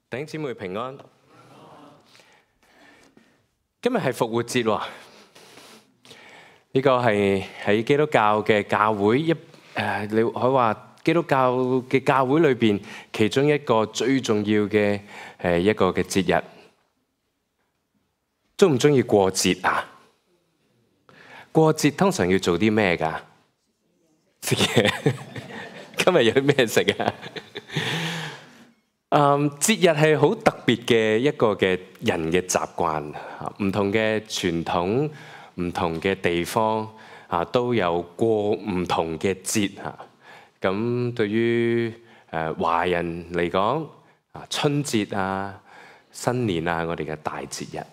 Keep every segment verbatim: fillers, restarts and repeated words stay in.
弟兄姊妹平安。今日係復活節喎，呢個係喺基督教嘅教會一誒，你可以話基督教嘅教會裏邊其中一個最重要嘅誒一個嘅節日。鍾唔鍾意過節啊？過節通常要做啲咩㗎？食嘢。今日有啲咩食啊？嗯，節日係好特別嘅一個嘅人嘅習慣，唔同嘅傳統、唔同嘅地方啊，都有過唔同嘅節嚇。咁對於誒華人嚟講，啊春節啊、新年啊，我哋嘅大節日。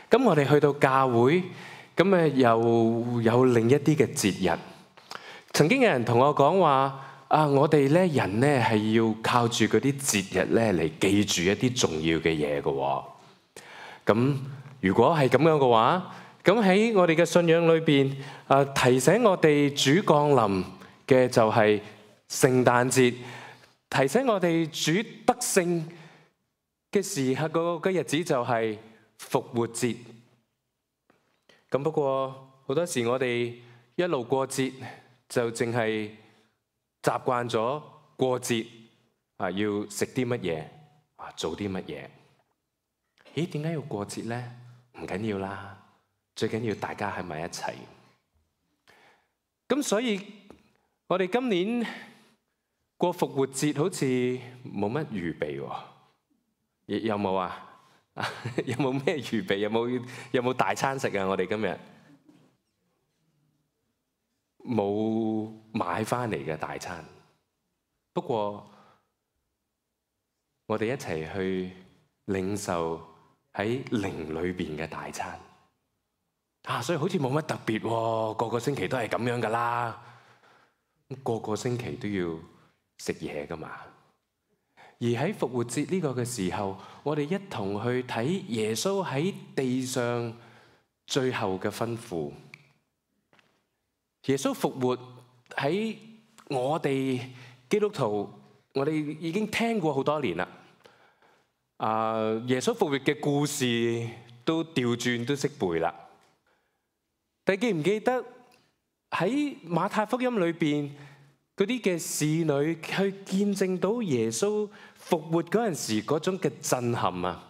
咁我哋去到教會，咁誒又有另一啲嘅節日。曾經有人同我講話。啊！我哋咧人咧係要靠住嗰啲節日咧嚟記住一啲重要嘅嘢嘅。咁如果係咁樣嘅話，咁喺我哋嘅信仰裏邊，啊提醒我哋主降臨嘅就係聖誕節，提醒我哋主得勝嘅時刻嗰個日子就係復活節。咁不過好多時我哋一路過節就淨係習慣咗過節啊，要食啲乜嘢啊，做啲乜嘢？咦，點解要過節咧？唔緊要啦，最緊要大家喺埋一齊。咁所以，我哋今年過復活節好似冇乜預備喎。有冇啊？有冇咩預備？有冇有冇大餐食啊？我哋今日冇買翻嚟嘅大餐，不過我哋一齊去領受喺靈裏邊嘅大餐啊！所以好似冇乜特別喎，個個星期都係咁樣噶啦，個個星期都要食嘢噶嘛。而喺復活節呢個嘅時候，我哋一同去睇耶穌喺地上最後嘅吩咐。耶穌復活喺我哋基督徒，我哋已經聽過好多年啦。啊，耶穌復活嘅故事都調轉都識背啦。但記唔記得喺馬太福音裏邊嗰啲嘅侍女去見證到耶穌復活嗰陣時嗰種嘅震撼啊？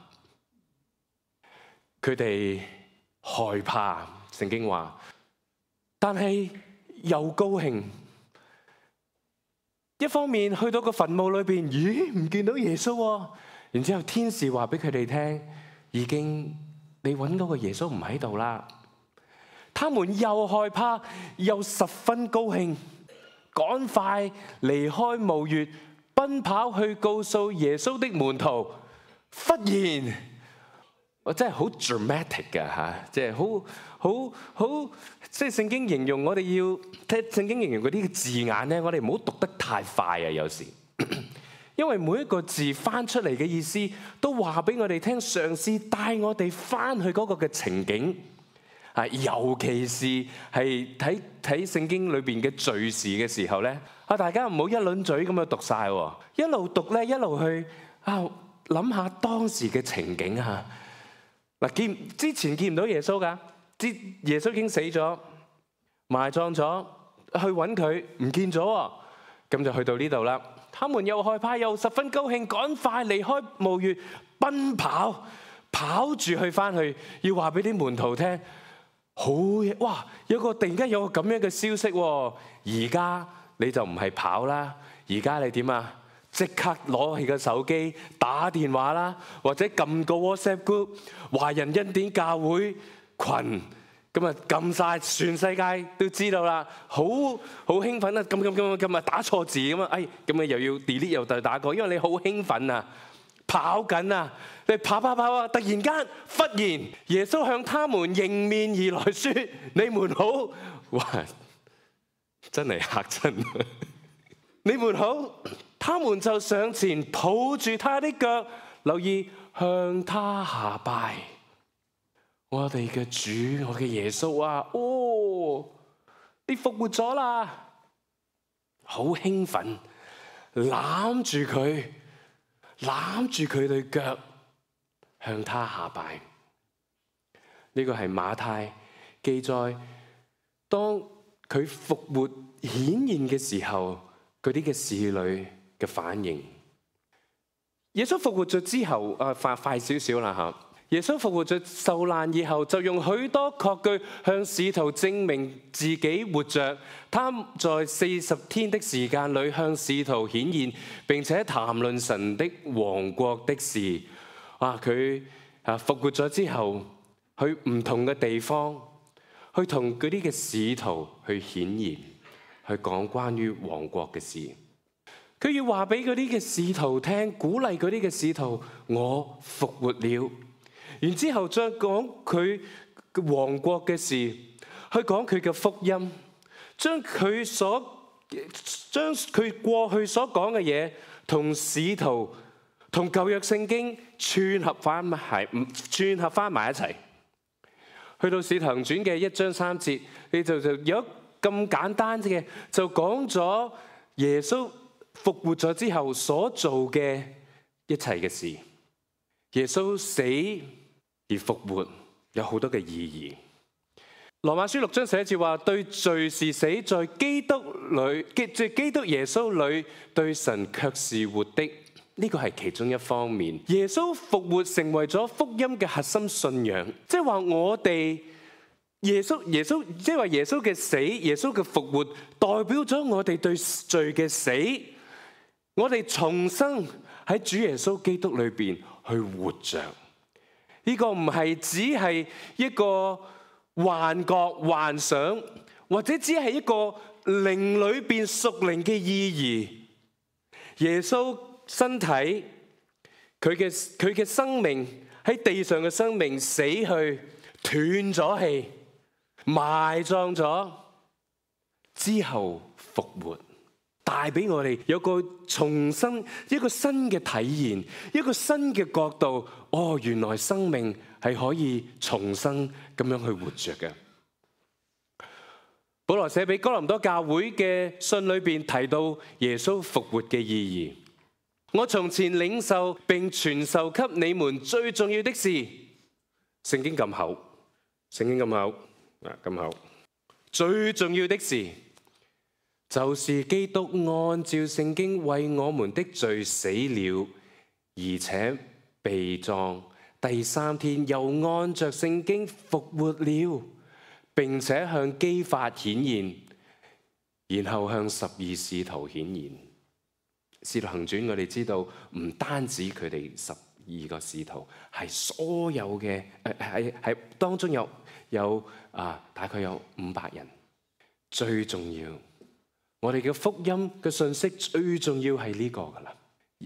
佢哋害怕，聖經話。但係又高興，一方面去到個墳墓裏邊，咦，唔見到耶穌喎。然之後天使話俾佢哋聽，已經你揾嗰個耶穌唔喺度啦。他們又害怕又十分高興，趕快離開墓穴，奔跑去告訴耶穌的門徒。忽然，我真係好 dramatic 㗎嚇，即係好好好，即係聖經形容我哋要聽聖經形容嗰啲字眼咧，我哋唔好讀得太快啊！有時，因為每一個字翻出嚟嘅意思，都話俾我哋聽，嘗試帶我哋翻去嗰個嘅情景啊，尤其是係睇睇聖經裏邊嘅敘事嘅時候咧，啊大家唔好一輪嘴咁樣讀晒，一路讀咧，一路去啊諗下當時嘅情景啊。嗱，見之前見唔到耶穌噶，之耶穌已經死咗，埋葬咗，去揾佢唔見咗，咁就去到呢度啦。他們又害怕又十分高興，趕快離開墓穴，奔跑跑住去翻去，要話俾啲門徒聽。好嘢！哇，有個突然間有個咁樣嘅消息喎，而家你就唔係跑啦，而家你點啊？即刻攞起個手機打電話啦，或者撳個 WhatsApp group 華人恩典教會群，咁啊撳晒全世界都知道啦，好好興奮啊！咁咁咁咁啊打錯字咁啊，哎咁啊又要 delete 又再打過，因為你好興奮啊，跑緊啊，你跑跑跑啊！突然間忽然耶穌向他們迎面而來說：你們好！哇，真係嚇親！你們好！他們就上前抱住他的腳，留意向他下拜。我哋嘅主，我嘅耶穌啊，哦，你復活咗啦！好興奮，攬住佢，攬住佢對腳，向他下拜。呢個係馬太記載，當佢復活顯現嘅時候，嗰啲嘅侍女嘅反應。耶穌復活咗之後，啊快快少少啦吓！耶穌復活咗受難以後，就用許多確據向使徒證明自己活着。他在四十天的時間裏向使徒顯現，並且談論神的王國的事。啊，佢啊復活咗之後，去唔同嘅地方，去同嗰啲嘅使徒去顯現，去講關於王國嘅事。佢要話俾嗰啲嘅使徒聽，鼓勵嗰啲嘅使徒，我復活了。然之後再講佢王國嘅事，去講佢嘅福音，將佢所將佢過去所講嘅嘢同使徒同舊約聖經串合翻埋，串合翻埋一齊。去到使徒行傳嘅一章三節，你就就有咁簡單嘅，就講咗耶穌復活咗之後所做嘅一切嘅事。耶穌死而復活有好多嘅意義。羅馬書六章十一節話：對罪是死，在基督裏，即基督耶穌裏，對神卻是活的。呢個係其中一方面。耶穌復活成為咗福音嘅核心信仰，即係話我哋耶穌耶穌，即係話耶穌嘅死，耶穌嘅復活，代表咗我哋對罪嘅死，我哋重生喺主耶穌基督裏邊去活着。呢個唔係只係一個幻覺、幻想，或者只係一個靈裏邊屬靈嘅意義。耶穌身體，佢嘅佢嘅生命喺地上嘅生命死去，斷咗氣，埋葬咗之後復活，帶俾我哋有個重新一個新嘅體驗，一個新嘅角度。哦，原來生命係可以重生咁樣去活着嘅。保羅寫俾哥林多教會嘅信裏邊提到耶穌復活嘅意義。我從前領受並傳授給你們最重要的事，聖經咁厚，聖經咁厚，啊咁厚，最重要的事就是基督按照聖經為我們的罪死了，而且被葬，第三天又按着聖經復活了，並且向基法顯現，然後向十二使徒顯現。使徒行傳我哋知道，唔單止佢哋十二個使徒，係所有嘅誒係係當中有有啊大概有五百人。最重要，我哋嘅福音嘅信息最重要係呢個噶啦，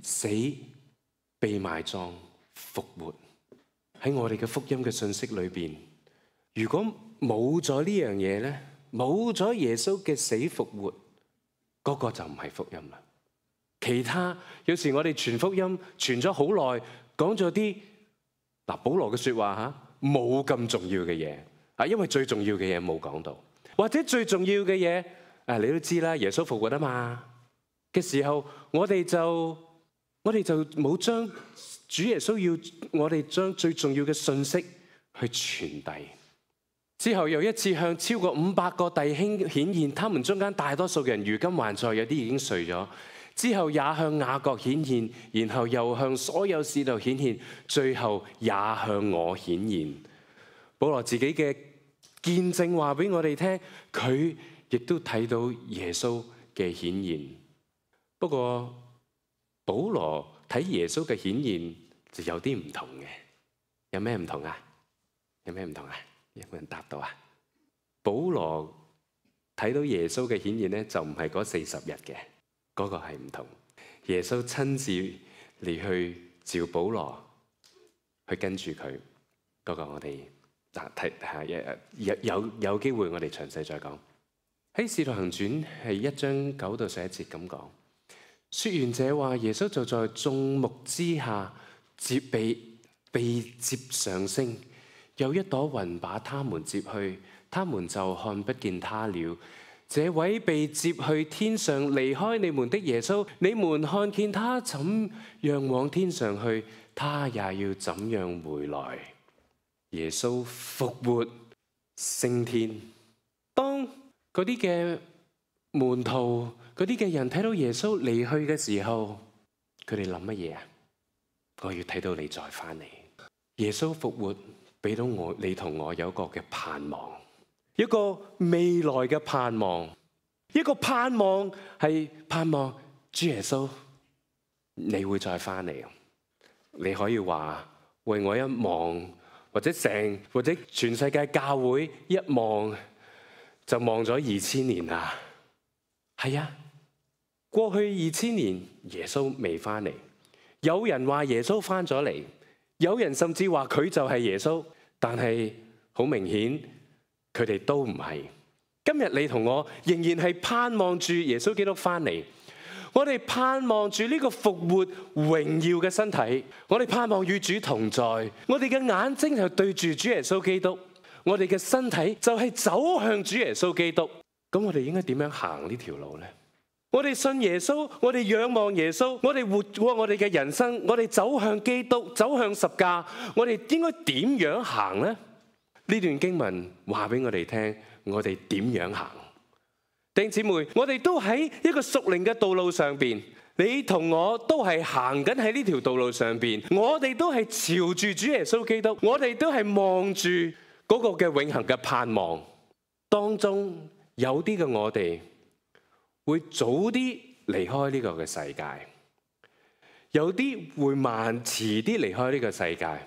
死、被埋葬、復活喺我哋嘅福音嘅信息裏邊。如果冇咗呢樣嘢咧，冇咗耶穌嘅死復活，嗰個就唔係福音啦。其他有時我哋傳福音傳咗好耐，講咗啲嗱保羅嘅說話吓，冇咁重要嘅嘢啊，因為最重要嘅嘢冇講到，或者最重要嘅嘢誒，你都知啦，耶穌復活啊嘛嘅時候，我哋就我哋就冇將主耶穌要我哋將最重要嘅信息去傳遞。之後又一次向超過五百個弟兄顯現，他們中間大多數人如今還在，有啲已經睡咗。之後也向雅各顯現，然後又向所有使徒顯現，最後也向我顯現。保羅自己嘅見證話俾我哋聽，佢亦都睇到耶穌嘅顯現。不過保羅睇耶穌嘅顯現就有啲唔同嘅，有咩唔同啊？有咩唔同啊？有冇人答到啊？保羅睇到耶穌嘅顯現咧，就唔係嗰四十日嘅。嗰個係唔同，耶穌親自嚟去召保羅去跟住佢。嗰個我哋嗱睇下有有有機會我哋詳細再講。喺《使徒行傳》係一章九到十一節咁講，說完這話，耶穌就在眾目之下接被被接上升，有一朵雲把他們接去，他們就看不見他了。這位被接去天上離開你們的耶穌，你們看見他怎樣往天上去，他也要怎樣回來。耶穌復活升天。當嗰啲嘅門徒、嗰啲嘅人睇到耶穌離去嘅時候，佢哋諗乜嘢啊？我要睇到你再翻嚟。耶穌復活俾到我，你同我有一個嘅盼望，一個未來嘅盼望，一個盼望係盼望主耶穌你會再翻嚟。你可以話為我一望，或者成或者全世界教會一望就望咗二千年啦。係啊，過去二千年耶穌未翻嚟，有人話耶穌翻咗嚟，有人甚至話佢就係耶穌，但係好明顯佢哋都唔係。今日你同我仍然係盼望住耶穌基督翻嚟，我哋盼望住呢個復活榮耀嘅身體，我哋盼望與主同在，我哋嘅眼睛就對住主耶穌基督，我哋嘅身體就係走向主耶穌基督。咁我哋應該點樣行呢條路呢？我哋信耶穌，我哋仰望耶穌，我哋活過我哋嘅人生，我哋走向基督，走向十架，我哋應該點樣行呢？呢段經文話俾我哋聽，我哋點樣行？弟兄姊妹，我哋都喺一個屬靈嘅道路上邊，你同我都係行緊喺呢條道路上邊，我哋都係朝住主耶穌基督，我哋都係望住嗰個嘅永恆嘅盼望。當中有啲嘅我哋會早啲離開呢個嘅世界，有啲會慢遲啲離開呢個世界，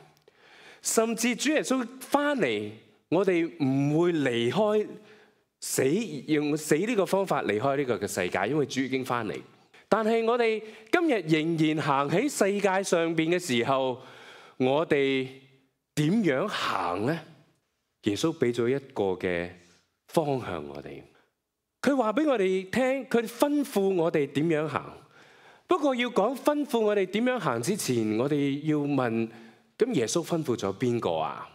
甚至主耶穌翻嚟，我哋唔會離開死，用死呢個方法離開呢個嘅世界，因為主已經翻嚟。但係我哋今日仍然行喺世界上邊嘅時候，我哋點樣行呢？耶穌俾咗一個嘅方向我哋，佢話俾我哋聽，佢吩咐我哋點樣行。不過要講吩咐我哋點樣行之前，我哋要問，咁耶穌吩咐咗邊個啊？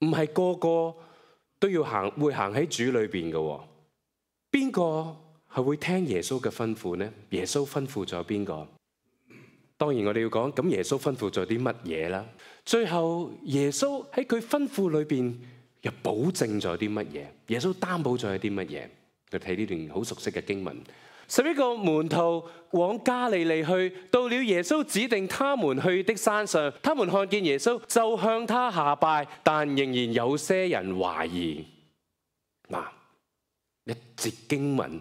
唔係個個都要行，會行喺主裏邊嘅。邊個係會聽耶穌嘅吩咐呢？耶穌吩咐咗邊個？當然我哋要講，咁耶穌吩咐咗啲乜嘢啦？最後耶穌喺佢吩咐裏邊又保證咗啲乜嘢？耶穌擔保咗啲乜嘢？佢睇呢段好熟悉嘅經文，十一個門徒往加利利去，到了耶穌指定他們去的山上，他們看見耶穌就向他下拜，但仍然有些人懷疑。嗱，一節經文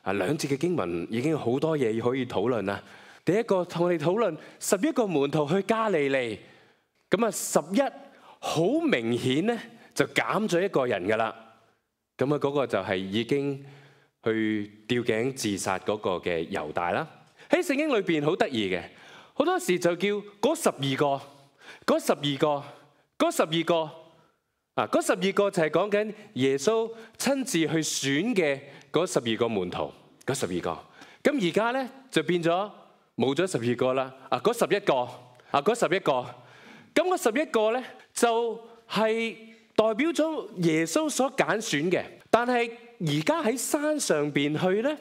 啊，兩節嘅經文已經好多嘢可以討論啦。第一個同我哋討論十一個門徒去加利利，咁啊十一好明顯咧就減咗一個人噶啦。咁啊，嗰個就係已經去吊頸自殺嗰個嘅猶大啦。喺聖經裏邊好得意嘅，好多時就叫嗰十二個，嗰十二個，嗰十二個啊，嗰十二個就係講緊耶穌親自去選嘅嗰十二個門徒，嗰十二個。咁而家咧就變咗冇咗十二個啦。啊，嗰十一個，啊嗰十一個，咁嗰十一個咧就係代表咗耶穌所揀選嘅，但係而家喺山上邊去咧，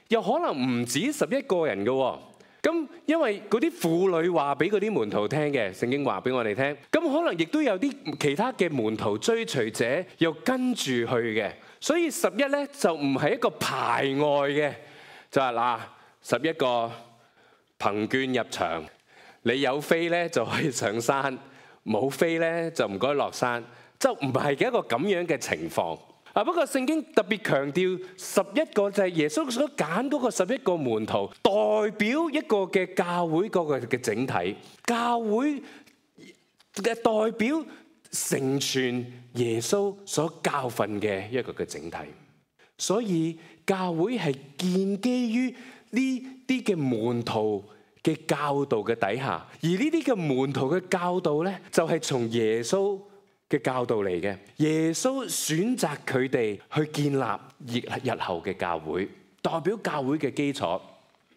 又可能唔止十一個人嘅。咁因為嗰啲婦女話俾嗰啲門徒聽嘅，聖經話俾我哋聽，咁可能亦都有啲其他嘅門徒追隨者又跟住去嘅，所以十一咧就唔係一個排外嘅，就係嗱十一個憑券入場，你有飛咧就可以上山，冇飛咧就唔該落山。就唔係一個咁樣嘅情況啊！不過聖經特別強調十一個就係耶穌所揀嗰個十一個門徒，代表一個嘅教會嗰個嘅整體，教會嘅代表成全耶穌所教訓嘅一個嘅整體。所以教會係建基於呢啲嘅門徒嘅教導嘅底下，而呢啲嘅門徒嘅教導咧，就係從耶穌嘅教導嚟嘅。耶穌選擇佢哋去建立日日後嘅教會，代表教會嘅基礎。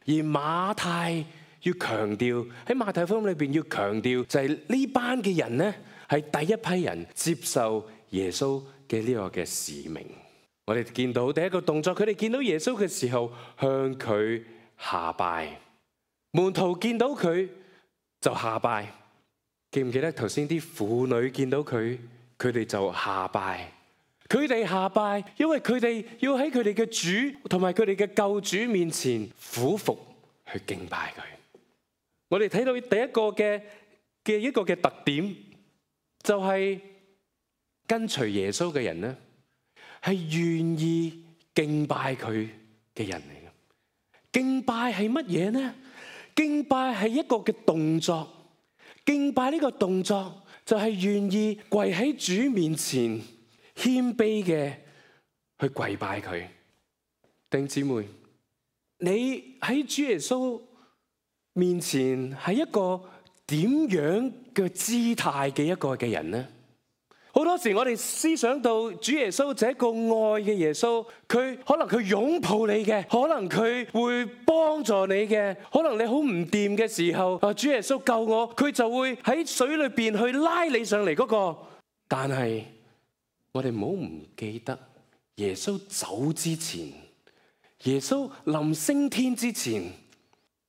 而馬太要強調，喺馬太福音裏邊要強調就係呢班嘅人呢，係第一批人接受耶穌嘅呢個嘅使命。我哋見到第一個動作，佢哋見到耶穌嘅時候向佢下拜。門徒見到佢就下拜。記唔記得頭先啲婦女見到佢，佢哋就下拜。佢哋下拜，因為佢哋要喺佢哋嘅主同埋佢哋嘅救主面前俯伏去敬拜佢。我哋睇到第一個嘅嘅一個嘅特點，就係跟隨耶穌嘅人咧，係願意敬拜佢嘅人嚟嘅。敬拜係乜嘢呢？敬拜係一個嘅動作。敬拜呢個動作就係願意跪喺主面前，謙卑嘅去跪拜佢。弟兄姊妹，你喺主耶穌面前係一個點樣嘅姿態嘅一個嘅人呢？好多時我哋思想到主耶穌就係一個愛嘅耶穌，佢可能佢擁抱你嘅，可能佢會幫助你嘅，可能你好唔掂嘅時候，啊，主耶穌救我，佢就會喺水裏邊去拉你上嚟嗰個。但係我哋唔好唔記得，耶穌走之前，耶穌臨升天之前，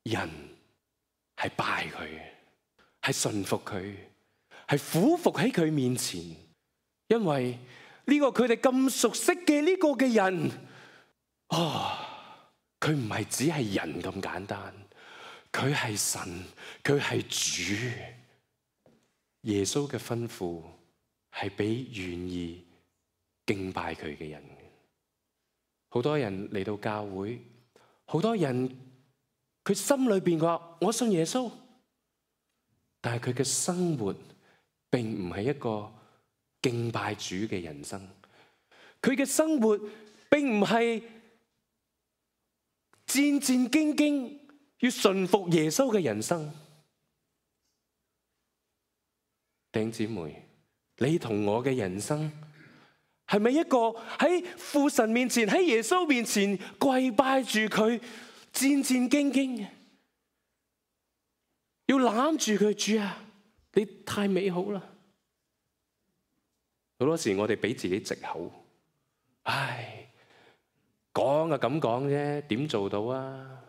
人係拜佢，係順服佢，係俯伏喺佢面前。因為呢個佢哋咁熟悉嘅呢個嘅人，啊，佢唔係只係人咁簡單，佢係神，佢係主。耶穌嘅吩咐係俾願意敬拜佢嘅人。好多人嚟到教會，好多人佢心裏邊話我信耶穌，但係佢嘅生活並唔係一個敬拜主嘅人生，佢嘅生活並唔係戰戰兢兢要順服耶穌嘅人生。弟兄姊妹，你同我嘅人生係咪一個喺父神面前，喺耶穌面前跪拜住佢，戰戰兢兢嘅，要攬住佢？主啊，你太美好啦！好多時我哋俾自己藉口，唉，講啊咁講啫，點做到啊？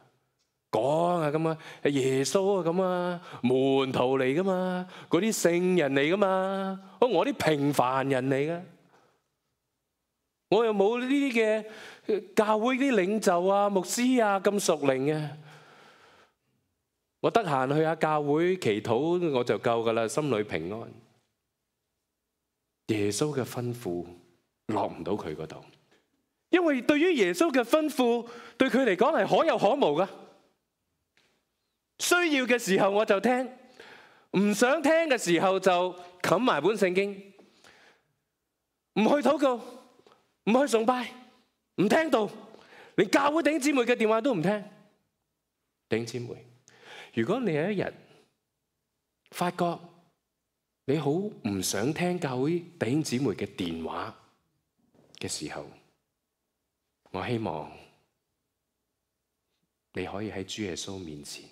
講啊咁啊，耶穌啊咁啊，門徒嚟噶嘛，嗰啲聖人嚟噶嘛，我啲平凡人嚟噶，我又冇呢啲嘅教會啲領袖啊、牧師啊咁屬靈嘅，我得閒去下教會祈禱我就夠噶啦，心裏平安。耶穌嘅吩咐落唔到佢嗰度，因為對於耶穌嘅吩咐，對佢嚟講係可有可無噶。需要嘅時候我就聽，唔想聽嘅時候就冚埋本聖經，唔去禱告，唔去崇拜，唔聽道，連教會弟兄姊妹嘅電話都唔聽。弟兄姊妹，如果你有一日發覺你好唔想聽教會弟兄姊妹嘅電話嘅時候，我希望你可以喺主耶穌面前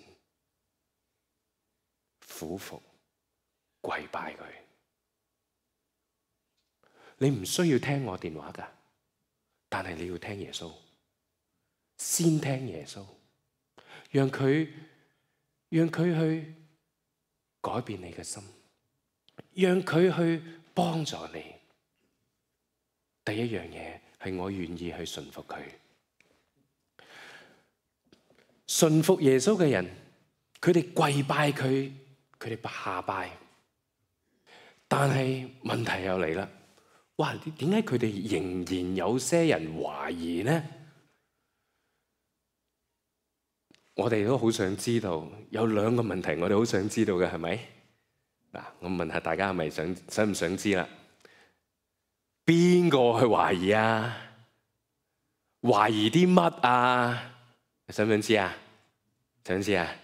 俯伏跪拜佢。你唔需要聽我電話㗎，但係你要聽耶穌，先聽耶穌，讓佢讓佢去改變你嘅心，讓佢去幫助你。第一樣嘢係我願意去順服佢。順服耶穌嘅人，佢哋跪拜佢，佢哋下拜。但係問題又嚟啦，哇！點解佢哋仍然有些人懷疑呢？我哋都好想知道，有兩個問題我哋好想知道嘅，係咪？嗱，我問下大家係咪想想唔想知啦？邊個去懷疑啊？懷疑啲乜啊？你想唔想知啊？想知啊？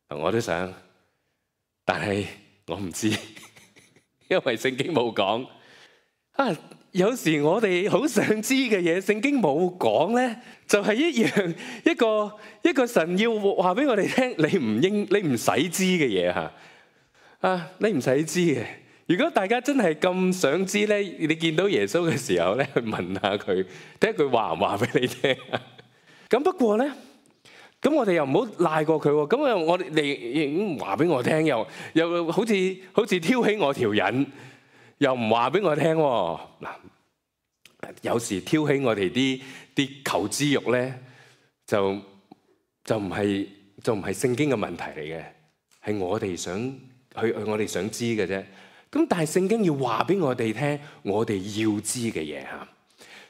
我都想，但係我唔知，因為聖經冇講。啊，有時我哋好想知嘅嘢，聖經冇講咧，就係一樣一個一個神要話俾我哋聽，你唔應你唔使知嘅嘢吓。啊，你唔使知嘅，如果大家真係咁想知咧，你見到耶穌嘅時候咧，去問下佢，睇下佢話唔話俾你聽。咁不過咧，咁我哋又唔好賴過佢喎。咁啊，我哋你話俾我聽，又又好似好似挑起我條癮，又唔話俾我聽喎。嗱，有時挑起我哋啲啲求知欲咧，就就唔係就唔係聖經嘅問題嚟嘅，係我哋想去去我哋想知嘅啫。咁但係聖經要話俾我哋聽，我哋要知嘅嘢嚇。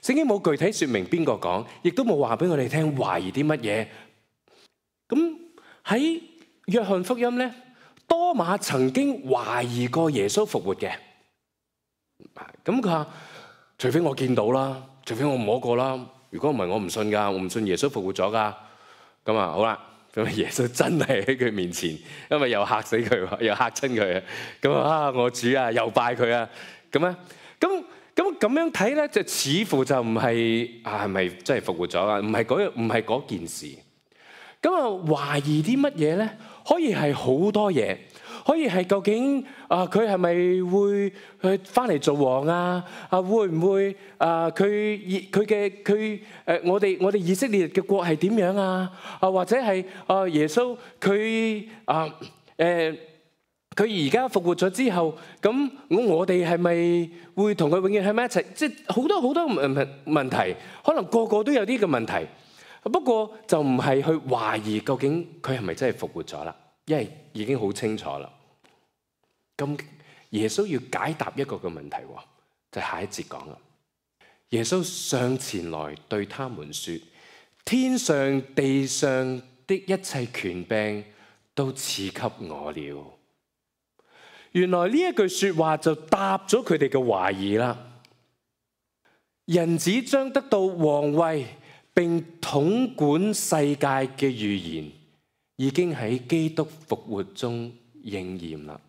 聖經冇具體説明邊個講，亦都冇話俾我哋聽懷疑啲乜嘢。咁喺約翰福音咧，多馬曾經懷疑過耶穌復活嘅。咁佢話：除非我見到啦，除非我摸過啦，如果唔係我唔信㗎，我唔信耶穌復活咗㗎。咁啊好啦。咁耶穌真係喺佢面前，因為又嚇死佢，又嚇親佢啊！咁啊，我主啊，又拜佢啊！咁啊，咁咁咁樣睇咧，就似乎就唔係啊，係咪真係復活咗啊？唔係嗰唔係嗰件事。咁啊，懷疑啲乜嘢咧？可以係好多嘢。可以係究竟啊，佢係咪會去翻嚟做王啊？啊，會唔會啊？佢佢嘅佢誒，我哋我哋以色列嘅國係點樣啊？啊，或者係啊，耶穌佢啊誒，佢而家復活咗之後，咁我我哋係咪會同佢永遠喺埋一齊？即係好多好多問問題，可能個個都有啲嘅問題。不過就唔係去懷疑究竟佢係咪真係復活咗啦，因為已經好清楚啦。咁耶穌要解答一個嘅問題，就係下一節講啦。耶穌上前來對他們說：天上地上的一切權柄都賜給我了。原來呢一句說話就答咗佢哋嘅懷疑啦。人子將得到皇位並統管世界嘅預言，已經喺基督復活中應驗啦。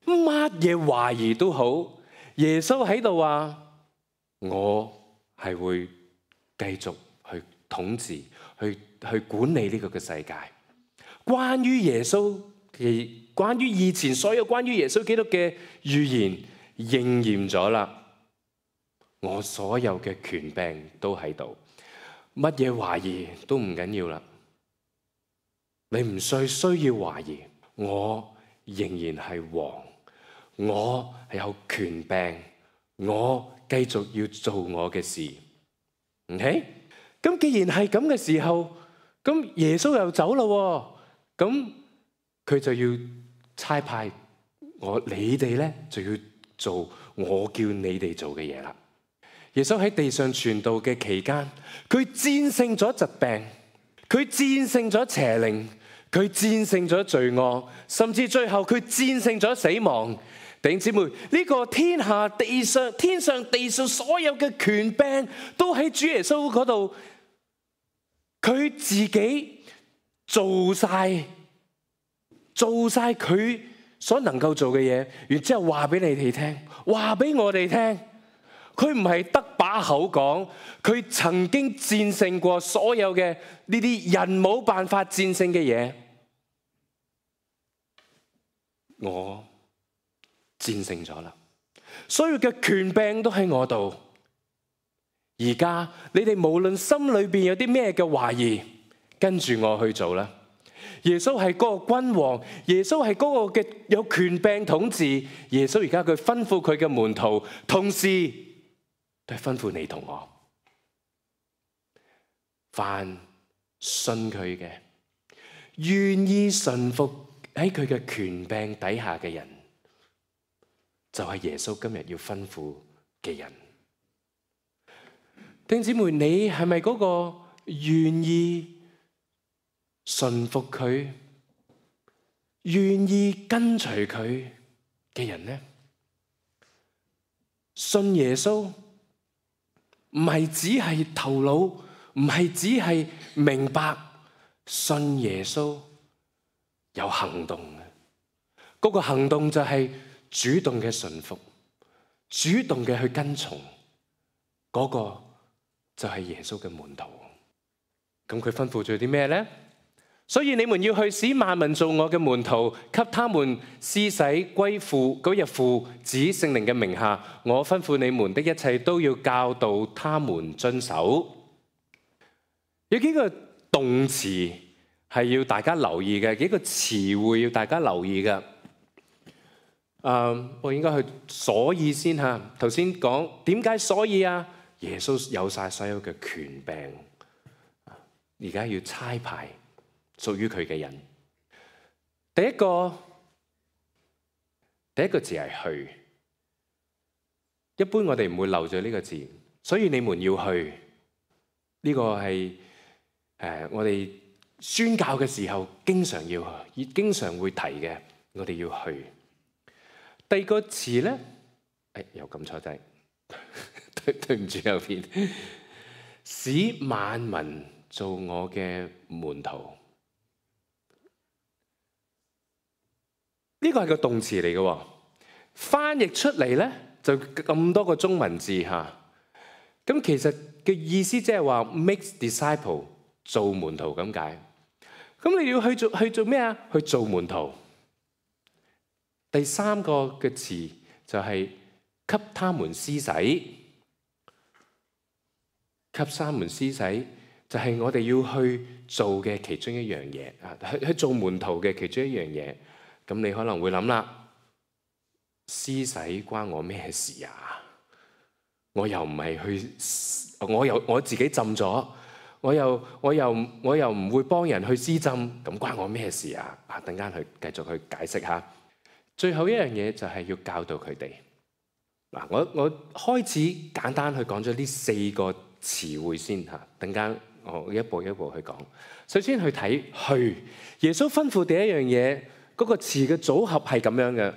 乜嘢懷疑都好，耶穌喺度話：我係會繼續去統治、去去管理呢個嘅世界。關於耶穌嘅，關於以前所有關於耶穌基督嘅預言應驗咗啦。我所有嘅權柄都喺度，乜嘢懷疑都唔緊要啦。你唔需需要懷疑，我仍然係王。我係有權柄，我繼續要做我嘅事。OK？咁既然係咁嘅時候，咁耶穌又走咯，咁佢就要差派我，你哋咧就要做我叫你哋做嘅嘢啦。耶穌喺地上傳道嘅期間，佢戰勝咗疾病，佢戰勝咗邪靈，佢戰勝咗罪惡，甚至最後佢戰勝咗死亡。弟兄姊妹，呢個天下地上天上地上所有嘅權柄都喺主耶穌嗰度，佢自己做晒做晒佢所能夠做嘅嘢，然之後話俾你哋聽，話俾我哋聽，佢唔係得把口講，佢曾經戰勝過所有嘅呢啲人冇辦法戰勝嘅嘢。我戰勝咗啦，所有嘅權柄都喺我度。而家你哋無論心裏邊有啲咩嘅懷疑，跟住我去做啦。耶穌係嗰個君王，耶穌係嗰個嘅有權柄統治。耶穌而家佢吩咐佢嘅門徒，同時都係吩咐你同我，凡信佢嘅，願意順服喺佢嘅權柄底下嘅人，就係耶穌今日要吩咐嘅人。弟兄姊妹，你係咪嗰個願意順服佢、願意跟隨佢嘅人呢？信耶穌唔係只係頭腦，唔係只係明白，信耶穌有行動嘅。嗰個行動就係主動嘅順服，主動嘅去跟從，嗰個就係耶穌嘅門徒。咁佢吩咐咗啲咩咧？所以你們要去使萬民做我嘅門徒，給他們施洗歸父嗰日父子聖靈嘅名下。我吩咐你們的一切都要教導他們遵守。有幾個動詞係要大家留意嘅，幾個詞彙要大家留意嘅。Uh, 我應該去所以先嚇。頭先講點解所以啊？耶穌有晒所有嘅權柄，而家要差派屬於佢嘅人。第一個第一個字係去，一般我哋唔會漏咗呢個字，所以你們要去。呢、這個係誒、呃、我哋宣教嘅時候經常要去，經常會提嘅，我哋要去。第二個詞咧，誒又撳錯掣，對對唔住右邊，使萬民做我嘅門徒，呢個係個動詞嚟嘅，翻譯出嚟咧就咁多個中文字嚇，咁其實嘅意思即係話 make disciple 做門徒咁解，咁你要去做去做咩啊？去做門徒。第三個嘅詞就係給他們施洗，給他們施洗就係我哋要去做嘅其中一樣嘢啊！去去做門徒嘅其中一樣嘢，咁你可能會諗啦，施洗關我咩事啊？我又唔係去，我又我自己浸咗，我又我又我又唔會幫人去施浸，咁關我咩事啊？啊，等間去繼續去解釋下。最後一樣嘢就係要教導佢哋。嗱，我我開始簡單去講咗呢四個詞彙先嚇，等間我一步一步去講。首先去睇去，耶穌吩咐第一樣嘢嗰個詞嘅組合係咁樣嘅。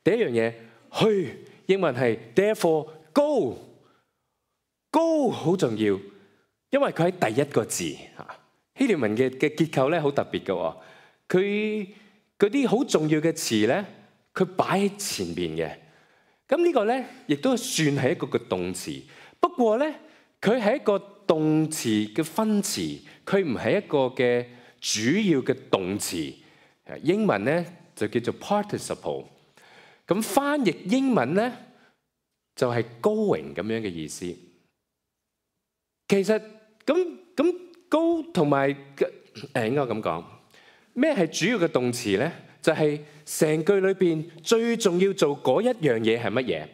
第一樣嘢去，英文係 therefore go， go 好重要，因為佢喺第一個字嚇。希臘文嘅嘅結構咧好特別嘅喎，佢嗰啲好重要嘅詞咧，佢擺喺前邊嘅。咁呢個咧，亦都算係一個嘅動詞。不過咧，佢係一個動詞嘅分詞，佢唔係一個嘅主要嘅動詞。英文咧就叫做 participle。咁翻譯英文咧就係 going 咁樣嘅意思。其實咁咁 go 同埋誒應該咁講。咩係主要嘅動詞咧？就係、是、成句裏邊最重要做嗰一樣嘢係乜嘢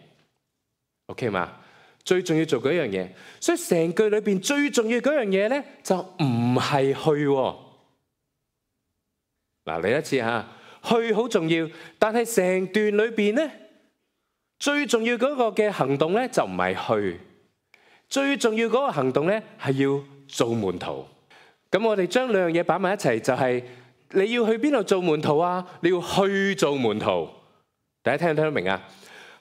？OK 嘛？最重要做嗰一樣嘢，所以成句裏邊最重要嗰樣嘢咧，就唔係去。嗱，嚟一次嚇，去好重要，但係成段裏邊咧，最重要嗰個嘅行動咧就唔係去，最重要嗰個行動咧係要做門徒。咁我哋將兩樣嘢擺埋一齊，就係、是。你要去邊度做門徒啊？你要去做門徒，大家聽唔聽得明啊？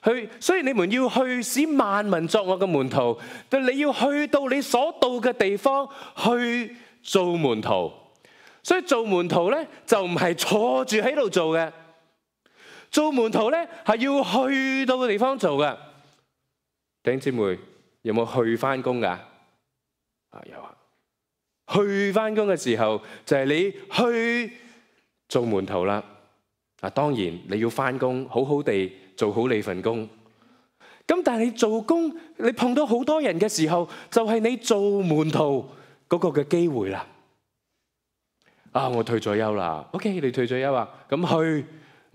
去，所以你們要去使萬民作我嘅門徒。但你要去到你所到嘅地方去做門徒。所以做門徒咧就唔係坐住喺度做嘅，做門徒咧係要去到嘅地方做嘅。弟兄姊妹有冇去翻工噶？啊有啊。去翻工嘅時候就係、是、你去做門徒啦。啊，當然你要翻工，好好地做好你份工。咁但係你做工，你碰到好多人嘅時候，就係、是、你做門徒嗰個嘅機會啦。啊，我退咗休啦。OK，你退咗休啊？咁去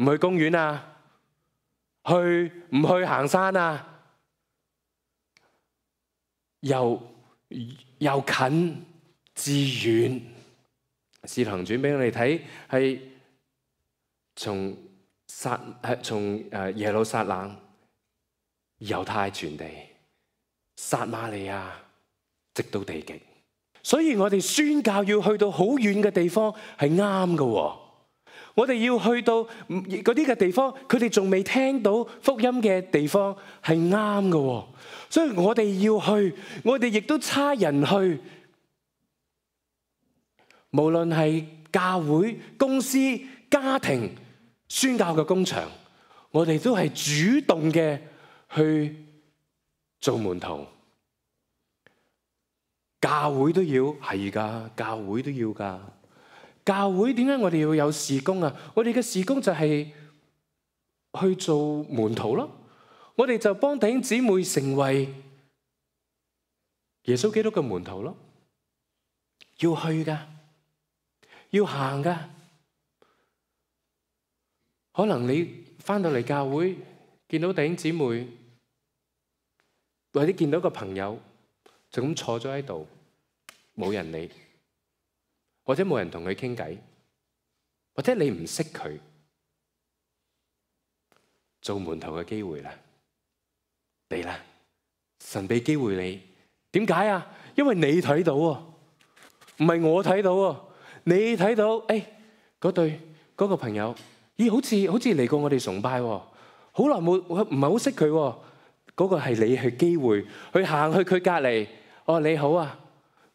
唔去公園啊？去唔去行山啊？又又近。至遠，使徒行傳俾我哋睇，係從撒係從誒耶路撒冷、猶太全地、撒瑪利亞，直到地極。所以我哋宣教要去到好遠嘅地方係啱嘅。我哋要去到嗰啲嘅地方，佢哋仲未聽到福音嘅地方係啱嘅。所以我哋要去，我哋亦都差人去。無論係教會、公司、家庭、宣教嘅工場，我哋都係主動嘅去做門徒。教會都要係噶，教會都要噶。教會點解我哋要有事工啊？我哋嘅事工就係去做門徒咯。我哋就幫弟兄姊妹成為耶穌基督嘅門徒咯。要去噶，要行噶。可能你翻到嚟教會，見到弟兄姊妹，或者見到個朋友就咁坐咗喺度，冇人理。或者冇人同佢傾偈，或者你唔識佢，做門徒嘅機會啦，嚟啦！神俾機會你，點解啊？因為你睇到啊，唔係我睇到啊，你睇到，誒，嗰對嗰個朋友，咦，好似好似嚟過我哋崇拜喎，好耐冇，唔係好識佢喎，嗰個係你去機會，去行去佢隔離，哦，你好啊，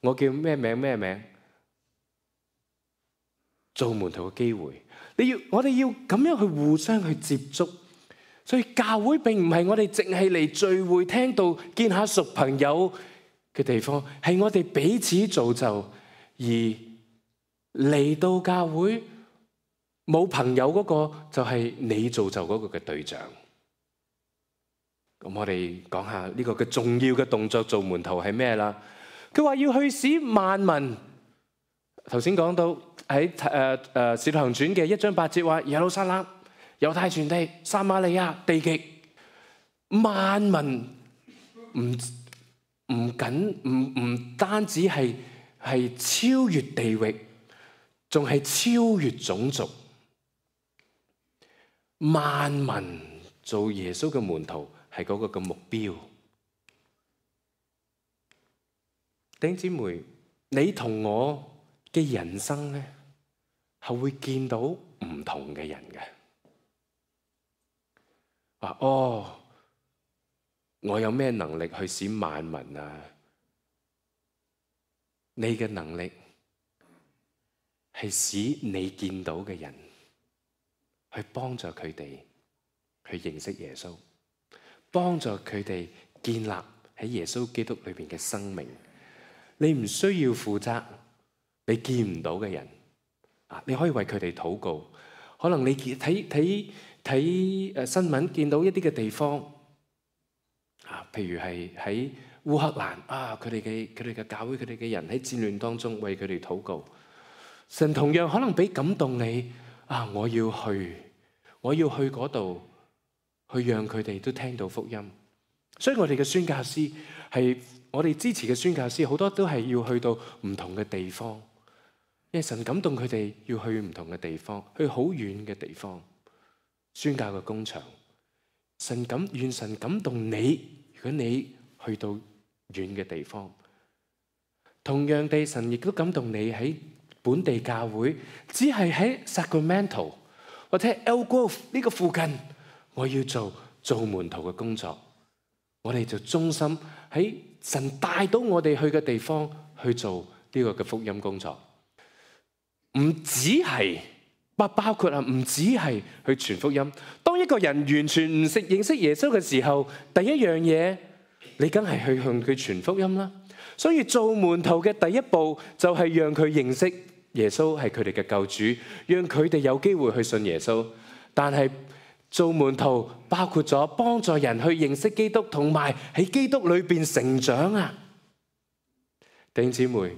我叫咩名咩名？做門徒嘅機會，你要我哋要咁樣去互相去接觸，所以教會並唔係我哋淨係嚟聚會聽到見下熟朋友嘅地方，係我哋彼此造就，而嚟到教會冇朋友嗰個就係你造就嗰個嘅對象。咁我哋講下呢個嘅重要嘅動作，做門徒係咩啦？佢話要去使萬民，頭先講到。喺誒誒《使徒行傳》嘅一章八節話：耶路撒冷、猶太全地、撒瑪利亞地極，萬民唔唔僅唔唔單止係係超越地域，仲係超越種族。萬民做耶穌嘅門徒係嗰個嘅目標。弟兄姊妹，你同我嘅人生咧，係會見到唔同嘅人嘅。話哦，我有咩能力去使萬民啊？你嘅能力係使你見到嘅人去幫助佢哋去認識耶穌，幫助佢哋建立喺耶穌基督裏邊嘅生命。你唔需要負責你見唔到嘅人。你可以為佢哋禱告，可能你睇睇睇誒新聞，見到一啲嘅地方啊，譬如係喺烏克蘭啊，佢哋嘅佢哋嘅教會，佢哋嘅人喺戰亂當中為佢哋禱告。神同樣可能俾感動你啊，我要去，我要去嗰度，去讓佢哋都聽到福音。所以我哋嘅宣教師係我哋支持嘅宣教師，好多都係要去到唔同嘅地方。因為神感動佢哋要去唔同嘅地方，去好遠嘅地方宣教嘅工場。神感願神感動你，如果你去到遠嘅地方，同樣地，神亦都感動你喺本地教會，只係喺 Sacramento 或者 Elk Grove 呢個附近，我要做做門徒嘅工作。我哋就忠心喺神帶到我哋去嘅地方去做呢個嘅福音工作。唔只係不包括啊，唔只係去傳福音。當一個人完全唔識認識耶穌嘅時候，第一樣嘢你梗係去向佢傳福音啦。所以做門徒嘅第一步就係讓佢認識耶穌係佢哋嘅救主，讓佢哋有機會去信耶穌。但係做門徒包括咗幫助人去認識基督，同埋喺基督裏邊成長啊。弟兄姊妹，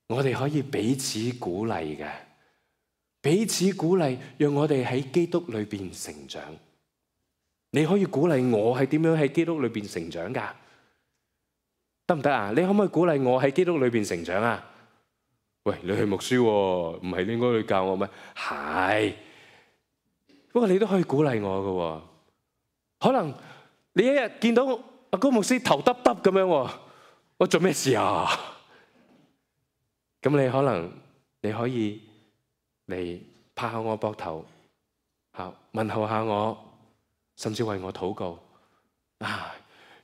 我哋可以彼此鼓勵嘅，彼此鼓勵，讓我哋喺基督裏邊成長。你可以鼓勵我係點樣喺基督裏邊成長噶？得唔得啊？你可唔可以鼓勵我喺基督裏邊成長啊？喂，你係牧師喎，唔係應該去教我咩？係，不過你都可以鼓勵我嘅。可能你一日見到阿高牧師頭耷耷咁樣，我做咩事啊？咁你可能你可以嚟拍下我膊頭，嚇問候下我，甚至為我禱告啊，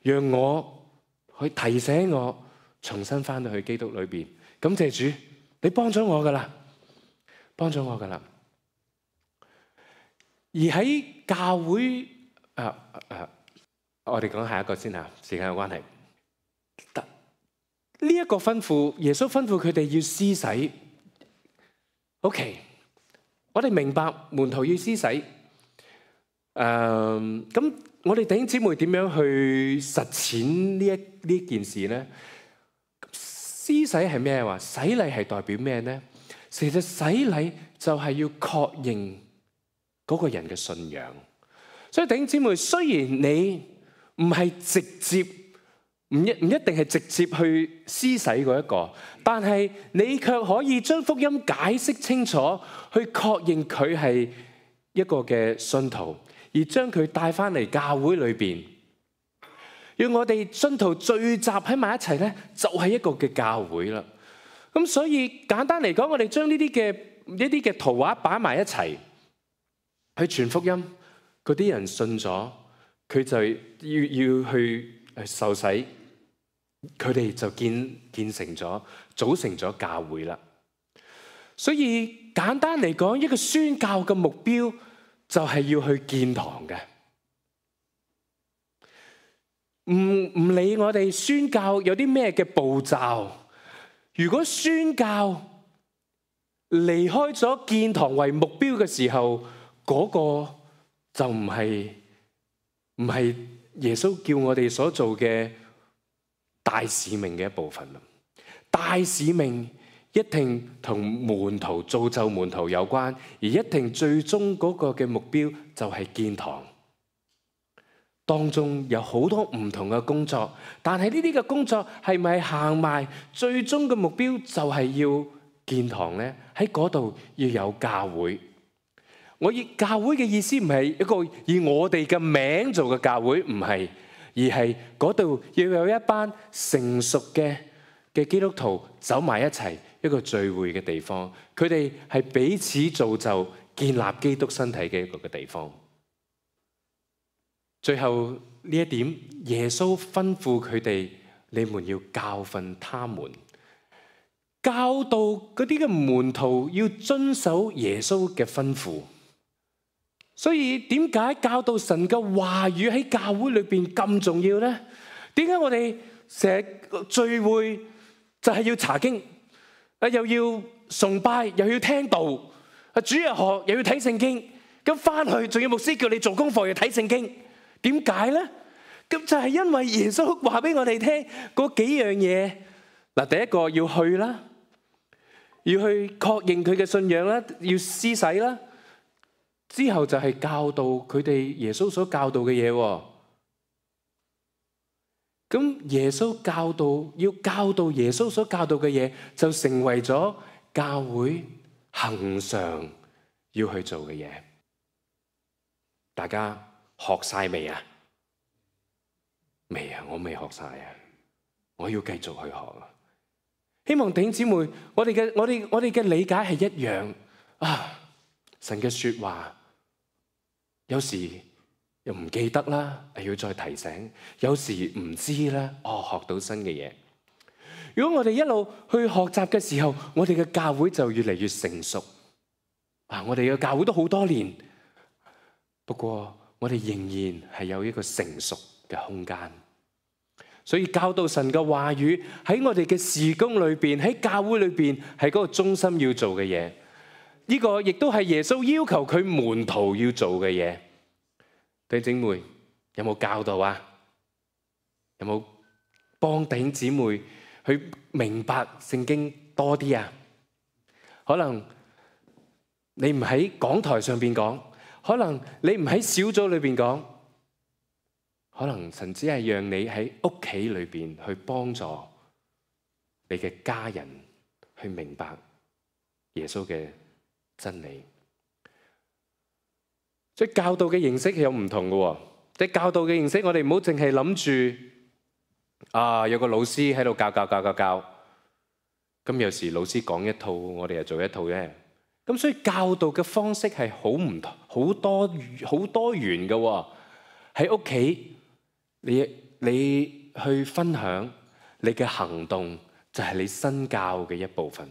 讓我去提醒我重新翻到去基督裏邊。感謝主，你幫咗我噶啦，幫咗我噶啦。而喺教會，啊啊，我哋講下一個先嚇，時間有關係。呢一個吩咐，耶穌吩咐佢哋要施洗， OK， 我哋明白門徒要施洗。誒、呃，咁我哋弟兄姊妹點樣去實踐呢一呢件事呢？施洗係咩話？洗禮係代表咩呢？其實洗禮就係要確認嗰個人嘅信仰。所以弟兄姊妹，雖然你唔係直接，唔一唔一定係直接去施洗嗰一個，但係你卻可以將福音解釋清楚，去確認佢係一個嘅信徒，而將佢帶翻嚟教會裏邊，讓我哋信徒聚集喺埋一齊咧，就係一個嘅教會啦。咁所以簡單嚟講，我哋將呢啲嘅一啲嘅圖畫擺埋一齊，去傳福音。嗰啲人信咗，佢就要要去受洗，佢哋就建建成咗，組成咗教會啦。所以簡單嚟講，一個宣教嘅目標就係要去建堂嘅。唔唔理我哋宣教有啲咩嘅步驟，如果宣教離開咗建堂為目標嘅時候，嗰個就唔係唔係耶穌叫我哋所做嘅大使命嘅一部分啦。大使命一定同門徒造就門徒有關，而一定最終嗰個嘅目標就係建堂。當中有好多唔同嘅工作，但係呢啲嘅工作係咪行埋最終嘅目標就係要建堂呢？喺嗰度要有教會。我以教會嘅意思唔係一個以我哋嘅名做嘅教會，唔係，而係嗰度要有一班成熟嘅嘅基督徒走埋一齊，一個聚會嘅地方。佢哋係彼此造就、建立基督身體嘅一個嘅地方。最後呢一點，耶穌吩咐佢哋：你們要教訓他們，教導嗰啲嘅門徒要遵守耶穌嘅吩咐。所以點解教導神嘅話語喺教會裏邊咁重要呢？點解我哋成日聚會就係要查經，啊又要崇拜，又要聽道，啊主日學又要睇聖經，咁翻去仲要牧師叫你做功課要睇聖經，點解呢？咁就係因為耶穌話俾我哋聽嗰幾樣嘢。嗱，第一個要去啦，要去確認佢嘅信仰啦，要施洗啦。之後就係教導佢哋耶穌所教導嘅嘢。咁耶穌教導，要教導耶穌所教導嘅嘢，就成為咗教會恆常要去做嘅嘢。大家學晒未啊？未啊，我未學晒啊，我要繼續去學啊。希望弟兄姊妹，我哋嘅我哋我哋嘅理解係一樣啊。神嘅說話，有時又唔記得啦，要再提醒；有時唔知啦，哦，學到新嘅嘢。如果我哋一路去學習嘅時候，我哋嘅教會就越嚟越成熟。啊，我哋嘅教會都好多年，不過我哋仍然係有一個成熟嘅空間。所以教導神嘅話語喺我哋嘅事工裏邊，喺教會裏邊係嗰個中心要做嘅嘢。呢個亦都係耶穌要求佢門徒要做嘅嘢。弟兄姊妹有冇教導啊？有冇幫弟兄姊妹去明白聖經多啲啊？可能你唔喺講台上邊講，可能你唔喺小組裏邊講，可能神只係讓你喺屋企裏邊去幫助你嘅家人去明白耶穌嘅真理。即係教導嘅形式係有唔同嘅，即係教導嘅形式，我哋唔好淨係諗住啊有個老師喺度教教教教教，咁有時老師講一套，我哋又做一套啫。咁所以教導嘅方式係好唔同，好多好多元嘅。喺屋企，你你去分享你嘅行動，就係你身教嘅一部分。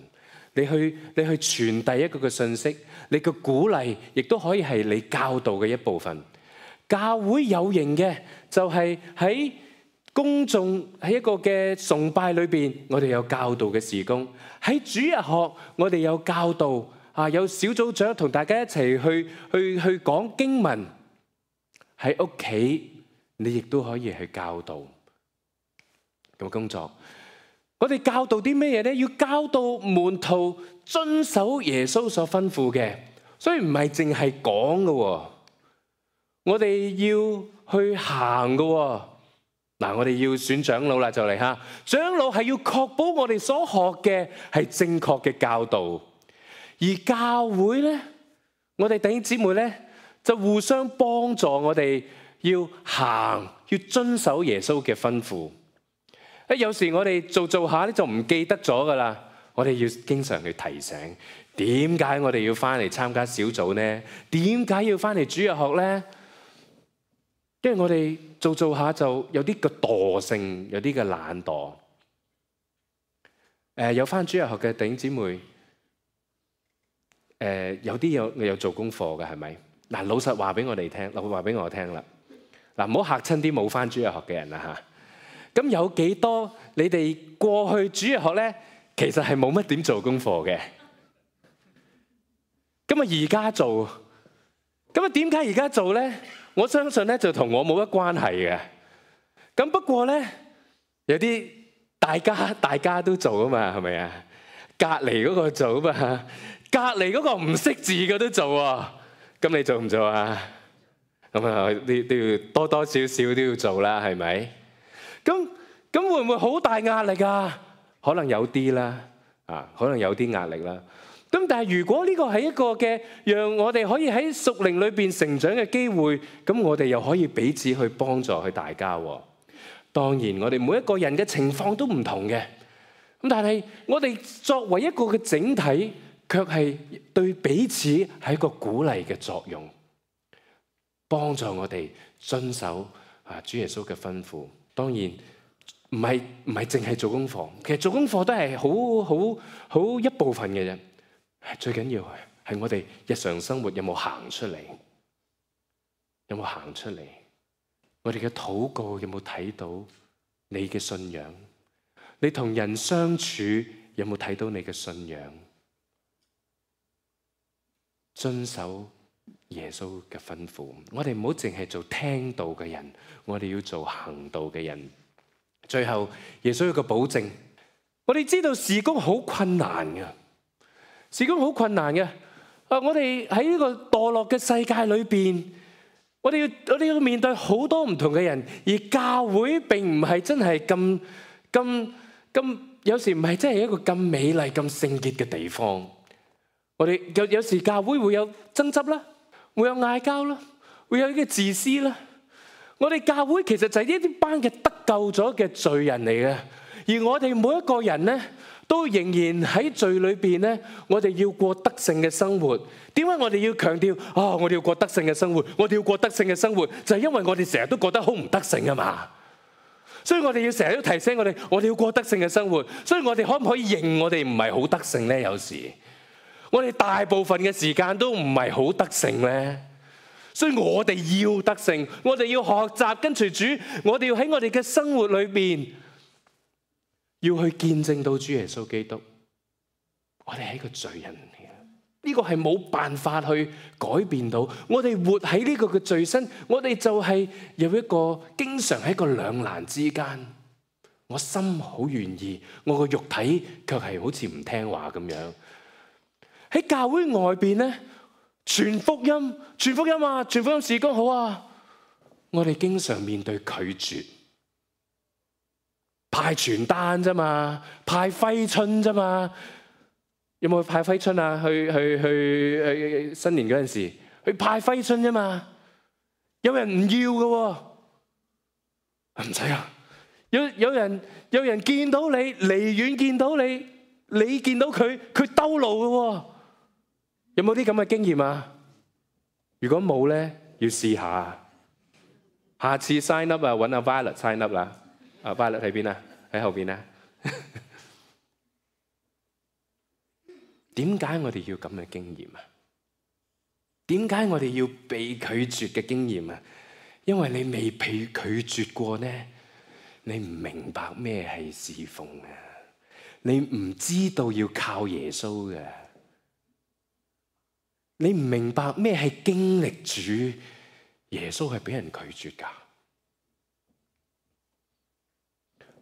你去你去傳遞一個嘅信息，你嘅鼓勵亦都可以係你教導嘅一部分。教會有形嘅就係喺公眾喺一個嘅崇拜裏邊，我哋有教導嘅事工；喺主日學，我哋有教導啊，有小組長同大家一齊去去去講經文，喺屋企你亦都可以去教導咁工作。我哋教導啲咩嘢咧？要教導門徒遵守耶穌所吩咐嘅，所以唔係淨係講嘅，我哋要去行嘅。嗱，我哋要選長老啦，就嚟吓。長老係要確保我哋所學嘅係正確嘅教導，而教會咧，我哋弟兄姊妹咧就互相幫助，我哋要行，要遵守耶穌嘅吩咐。誒，有時我哋做做下咧就唔記得咗噶啦，我哋要經常去提醒，點解我哋要翻嚟參加小組呢？點解要翻嚟主日學咧？因為我哋做做下就有啲嘅惰性，有啲嘅懶惰。誒，有翻主日學嘅弟兄姊妹，誒，有啲有有做功課嘅係咪？嗱，老實話俾我哋聽，老實話俾我聽啦。嗱，唔好嚇親啲冇翻主日學嘅人啦嚇。咁有幾多你哋過去主日學咧，其實係冇乜點做功課嘅。咁啊，而家做，咁啊，點解而家做咧？我相信咧就同我冇乜關係嘅。咁不過咧，有啲大家大家都做啊嘛，係咪啊？隔離嗰個做啊嘛，隔離嗰個唔識字嘅都做啊。咁你做唔做啊？咁啊，都都要多多少少都要做啦，係咪？咁咁會唔會好大壓力啊？可能有啲啦，啊，可能有啲壓力啦。咁但係如果呢個係一個嘅，讓我哋可以喺屬靈裏邊成長嘅機會，咁我哋又可以彼此去幫助去大家。當然，我哋每一個人嘅情況都唔同嘅。咁但係我哋作為一個嘅整體，卻係對彼此係一個鼓勵嘅作用，幫助我哋遵守啊主耶穌嘅吩咐。當然唔係唔係淨係做功課，其實做功課都係好好好一部分嘅啫。最緊要係我哋日常生活有冇行出嚟，有冇行出嚟？我哋嘅禱告有冇睇到你嘅信仰？你同人相處有冇睇到你嘅信仰？遵守耶穌嘅吩咐，我哋唔好淨係做聽道嘅人，我哋要做行道嘅人。最後，耶穌有個保證，我哋知道事工好困難嘅，事工好困難嘅。啊，我哋喺呢個墮落嘅世界裏邊，我哋要我哋要面對好多唔同嘅人，而教會並唔係真係咁咁咁，有時唔係真係一個咁美麗、咁聖潔嘅地方。我哋有有時教會會有爭執啦，會有嗌交啦，會有啲自私啦。我哋教會其實就係呢啲班嘅得救咗嘅罪人嚟嘅，而我哋每一個人咧，都仍然喺罪裏邊咧，我哋要過得勝嘅生活。點解我哋要強調啊？我哋要過得勝嘅生活，我哋要過得勝嘅生活，就係因為我哋成日都覺得好唔得勝啊嘛。所以我哋要成日都提醒我哋，我哋要過得勝嘅生活。所以我哋可唔可以認我哋唔係好得勝咧？有時我哋大部分嘅時間都唔係好得勝咧。所以我哋要得勝，我哋要學習跟隨主，我哋要喺我哋嘅生活裏邊，要去見證到主耶穌基督。我哋係一個罪人嚟嘅，呢個係冇辦法去改變到。我哋活喺呢個嘅罪身，我哋就係有一個經常喺一個兩難之間。我心好願意，我個肉體卻係好似唔聽話咁樣。喺教會外邊咧，傳福音，傳福音啊，傳福音事工好啊。我哋經常面對拒絕，派傳單啫嘛，派揮春啫嘛。有冇去派揮春啊？去去去去新年嗰陣時，去派揮春啫嘛。有人唔要嘅喎，唔使啊。有有人有人見到你，離遠見到你，你見到佢，佢兜路嘅喎。有冇啲咁嘅經驗啊？如果冇咧，要試下。下次 sign up 啊，揾阿 Violet sign up 啦。阿 Violet 喺邊啊？喺後邊啊。點解我哋要咁嘅經驗啊？點解我哋要被拒絕嘅經驗啊？因為你未被拒絕過呢，你唔明白咩係侍奉啊！你唔知道要靠耶穌嘅。你唔明白咩係經歷主，耶穌係俾人拒絕㗎。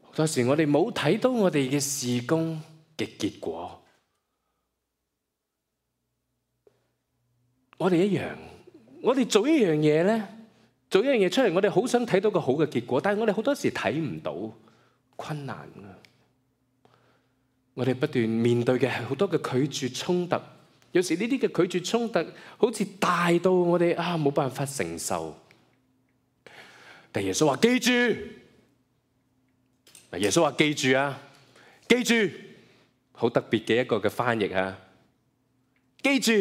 好多時我哋冇睇到我哋嘅事工嘅結果，我哋一樣，我哋做一樣嘢咧，做一樣嘢出嚟，我哋好想睇到個好嘅結果，但係我哋好多時睇唔到，困難啊！我哋不斷面對嘅係好多嘅拒絕衝突，有時呢啲嘅拒絕衝突好似大到我哋啊冇辦法承受。但耶穌話記住，耶穌話記住啊，記住，好特別嘅一個嘅翻譯啊，記住，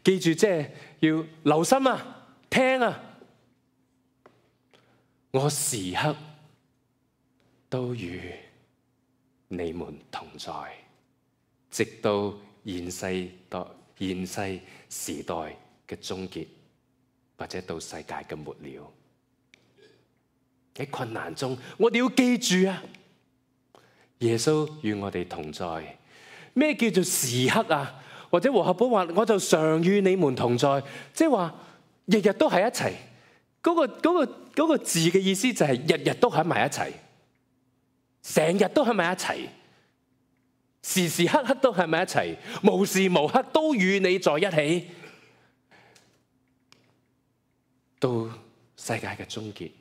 記住即係要留心啊，聽啊，我時刻都與你們同在，直到現世代、現世時代嘅終結，或者到世界嘅末了。喺困難中，我哋要記住啊，耶穌與我哋同在。咩叫做時刻啊？或者和合本話，我就常與你們同在，即係話日日都喺一齊。嗰個嗰個嗰個字嘅意思就係日日都喺埋一齊。成日都喺埋一齊，時時刻刻都喺埋一齊，無時無刻都與你在一起，到世界嘅終結。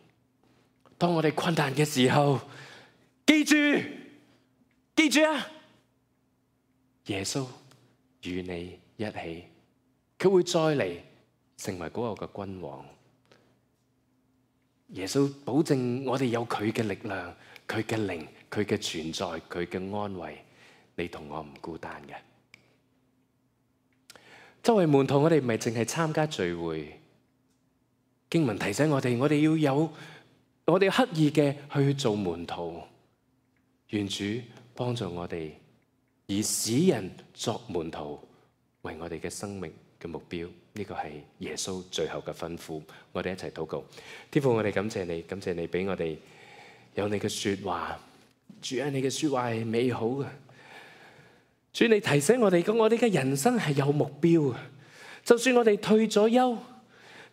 當我哋困難嘅時候，記住，記住啊！耶穌與你一起，佢會再嚟成為嗰個嘅君王。耶穌保證我哋有佢嘅力量，佢嘅靈，佢嘅存在，佢嘅安慰，你同我唔孤單嘅。作為門徒，我哋唔係淨係參加聚會。經文提醒我哋，我哋要有，我哋刻意嘅去做門徒。願主幫助我哋，以使人作門徒為我哋嘅生命嘅目標。呢個係耶穌最後嘅吩咐。我哋一齊禱告。天父，我哋感謝你，感謝你俾我哋有你嘅說話。主啊，你嘅說話係美好嘅。主，你提醒我哋，我哋嘅人生係有目標嘅。就算我哋退咗休，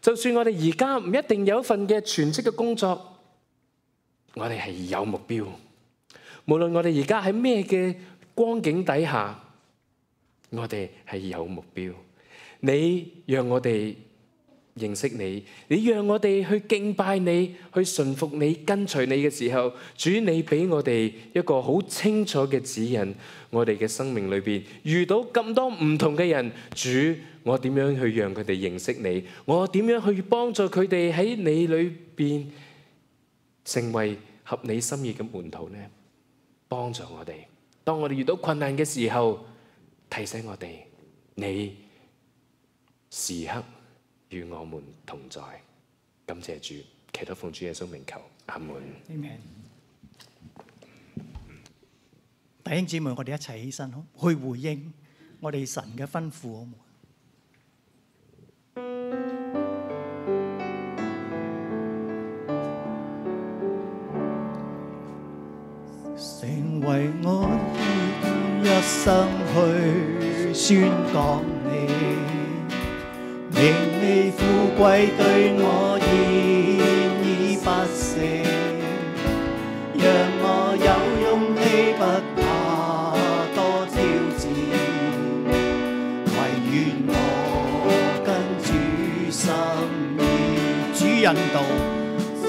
就算我哋而家唔一定有一份嘅全職嘅工作，我哋係有目標。無論我哋而家喺咩嘅光景底下，我哋係有目標。你讓我哋認識你，你讓我哋去敬拜你，去順服你，跟隨你嘅時候，主，你俾我哋一個好清楚嘅指引。我哋嘅生命裏邊遇到咁多唔同嘅人，主，我點樣去讓佢哋認識你？我點樣去幫助佢哋喺你裏邊成為合你心意嘅門徒呢？幫助我哋，當我哋遇到困難嘅時候，提醒我哋，你時刻與我們同在。感謝主，祈禱奉主耶穌名求，阿門。Amen。弟兄姊妹，我哋一齊起身去回應我哋神嘅吩咐。成為我一生去宣講你，名利富貴對我現已不捨，讓我有勇氣不怕多挑戰，唯願我跟主心意，主引導，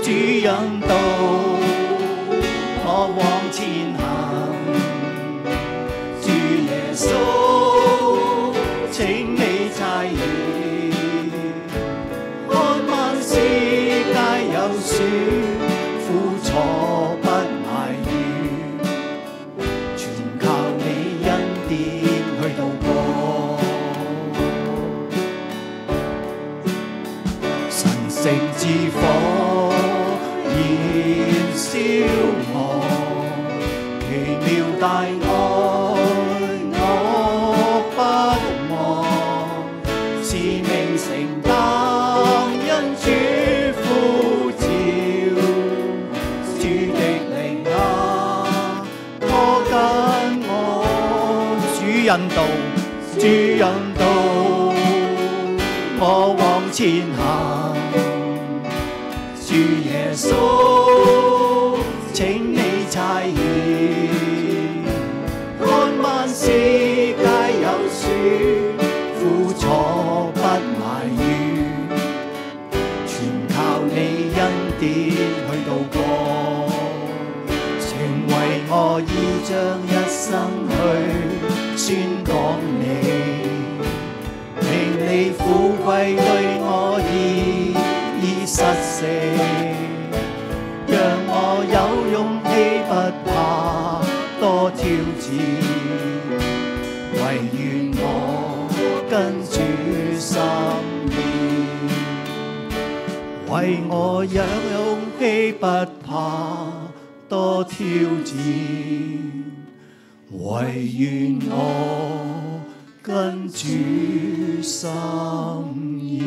主引導我往前行，主耶穌，請你差遣，看萬事皆有選，苦楚不埋怨，全靠你恩典去渡過，神聖之火燃燒我，奇妙大愛我不忘，使命承擔因主呼召，主的靈啊，拖緊我，主引導，主引導我往前行。主耶穌，請你差遣，看萬事皆有損，苦楚不埋怨，全靠你恩典去渡過。情為我已將一生去宣講你，令你富貴對我已已實誠，讓我有勇氣不怕多挑戰，唯願我跟主心意，為我有勇氣不怕多挑戰，唯願我跟主心意。